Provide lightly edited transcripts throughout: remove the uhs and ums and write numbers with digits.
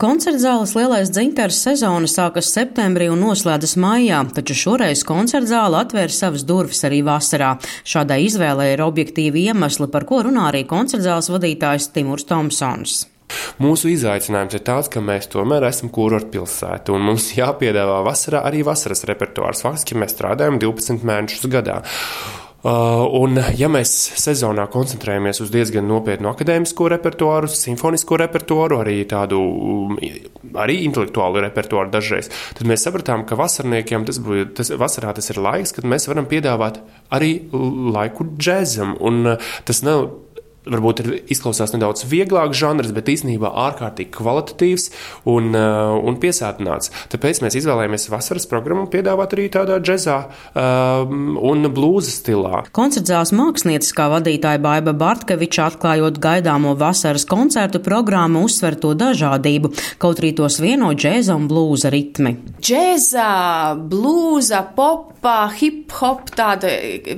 Koncertzāles Lielais dzintars sezona sākas septembrī un noslēdzas maijā, taču šoreiz koncertzāle atvēra savas durvis arī vasarā. Šādai izvēlei ir objektīvi iemesli, par ko runā arī koncertzāles vadītājs Timurs Tomsons. Mūsu izaicinājums ir tāds, ka mēs tomēr esam kurortpilsēta un mums jāpiedāvā vasarā arī vasaras repertuārs. Faktiski mēs strādājam 12 mēnešus gadā. Un ja mēs sezonā koncentrējamies uz diezgan nopietnu akadēmisko repertuāru, simfonisko repertuāru, arī intelektuālu repertuāru dažreiz, tad mēs sapratām, ka vasarniekiem vasarā tas ir laiks, kad mēs varam piedāvāt arī laiku džezam. Un tas nav, varbūt izklausās nedaudz vieglāk žanrs, bet īstenībā ārkārtīgi kvalitatīvs un piesātināts. Tāpēc mēs izvēlējāmies vasaras programmu piedāvāt arī tādā džezā un blūza stilā. Koncertzāles mākslinieckā vadītāja Baiba Bartkeviča, atklājot gaidāmo vasaras koncertu programmu, uzsver to dažādību, kaut arī tos vieno džeza un blūza ritmi. Džeza, blūza, popa, hip-hop, tāda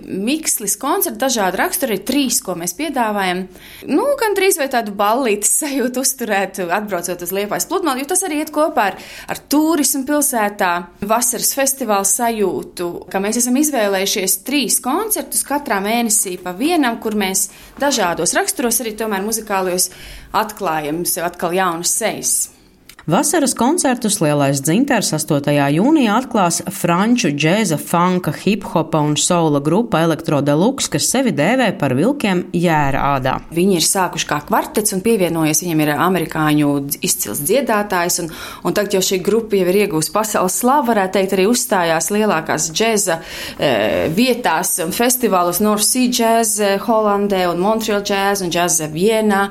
mikslis koncerti, dažādi raksturi, 3, ko mēs piedāvājam. Gandrīz vai tādu ballītes sajūtu uzturēt, atbraucot uz Liepājas pludmali, jo tas arī iet kopā ar turismu pilsētā, vasaras festivālu sajūtu, ka mēs esam izvēlējušies 3 koncertus katrā mēnesī pa vienam, kur mēs dažādos raksturos arī tomēr muzikālajos atklājam sev atkal jaunas sejas. Vasaras koncertus Lielais dzintars 8. jūnijā atklās franču džēza, funka, hip-hopa un soula grupa Elektro Deluxe, kas sevi dēvē par vilkiem jēra ādā. Viņi ir sākuši kā kvartets un pievienojies, viņam ir amerikāņu izcils dziedātājs, un tagad jau šī grupa jau ir iegūst pasaules slavu, varētu teikt, arī uzstājās lielākās džēza vietās un festivālos North Sea Jazz Holandē un Montreal Jazz un Jazz Vienā.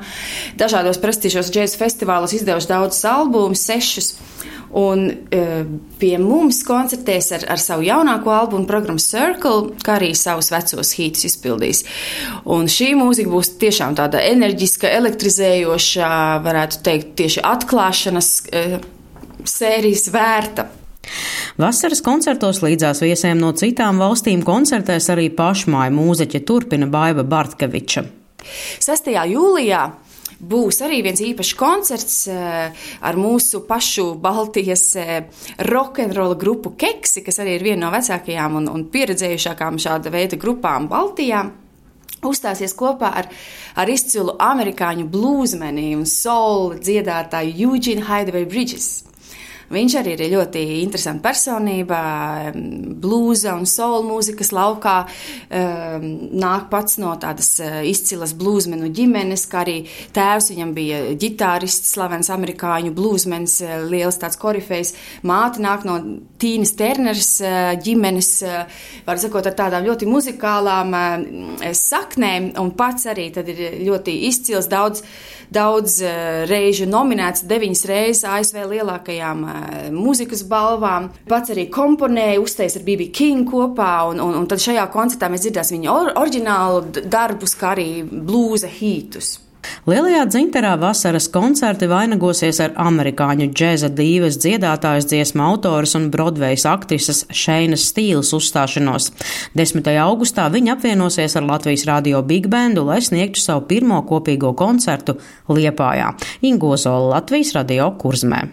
Dažādos prestižos džēza festivālos izdevuši daudzus albumus, 6. Un pie mums koncertēs ar savu jaunāko albumu programmu Circle, kā arī savus vecos hītus izpildīs. Un šī mūzika būs tiešām tāda enerģiska, elektrizējoša, varētu teikt, tieši atklāšanas sērijas vērta. Vasaras koncertos līdzās viesiem no citām valstīm koncertēs arī pašmāju mūziķe, turpina Baiba Bartkeviča. 6. jūlijā būs arī viens īpašs koncerts ar mūsu pašu Baltijas rokenrola grupu Keksi, kas arī ir viena no vecākajām un pieredzējušākām šāda veida grupām Baltijā. Uzstāsies kopā ar izcilu amerikāņu blūzmeni un soul dziedātāju Eugene Hideaway Bridges. Viņš arī ir ļoti interesanta personība, blūza un soul mūzikas laukā, nāk pats no tādas izcilas blūzmenu ģimenes, kā arī tēvs viņam bija ģitārists, slavens amerikāņu blūzmens, liels tāds korifejs, māte nāk no Tīnas Terners ģimenes, var sakot, ar tādām ļoti muzikālām saknēm, un pats arī tad ir ļoti izcils, daudz reižu nominēts, 9 reizes ASV lielākajām mūzikas balvām. Pats arī komponēja, uztais ar B.B. King kopā, un tad šajā koncertā mēs dzirdēsim viņa oriģinālu darbus, kā arī blūza hītus. Lielajā dzintarā vasaras koncerti vainagosies ar amerikāņu džeza dīvas dziedātājas, dziesmu autoras un Brodvejas aktrises Šeinas Stīles uzstāšanos. 10. augustā viņa apvienosies ar Latvijas radio Big Bandu, lai sniegtu savu pirmo kopīgo koncertu Liepājā. Inga Ozola, Latvijas radio Kurzmē.